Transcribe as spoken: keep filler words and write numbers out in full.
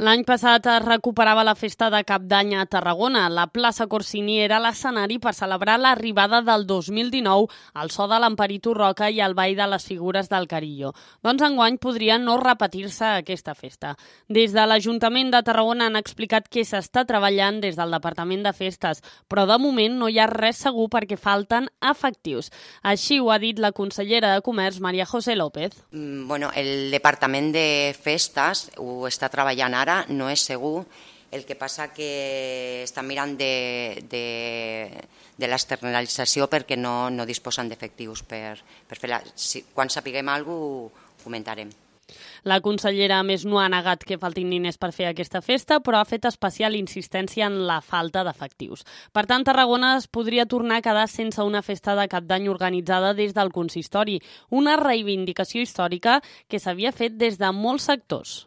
L'any passat es recuperava la festa de Cap d'Any a Tarragona. La plaça Corsini era l'escenari per celebrar l'arribada del dos mil dinou al so de l'Emperitu Roca i el ball de les figures del Carillo. Doncs enguany podria no repetir-se aquesta festa. Des de l'Ajuntament de Tarragona han explicat que s'està treballant des del Departament de Festes, però de moment no hi ha res segur perquè falten efectius. Així ho ha dit la consellera de Comerç, María José López. Bueno, el Departament de Festes ho està treballant ara, no és segur. El que passa que estan mirant de, de, de l'externalització perquè no, no disposen d'efectius per, per fer-la. Si, quan sapiguem alguna cosa, ho comentarem. La consellera, a més, no ha negat que faltin diners per fer aquesta festa, però ha fet especial insistència en la falta d'efectius. Per tant, Tarragona es podria tornar a quedar sense una festa de Cap d'Any organitzada des del consistori, una reivindicació històrica que s'havia fet des de molts sectors.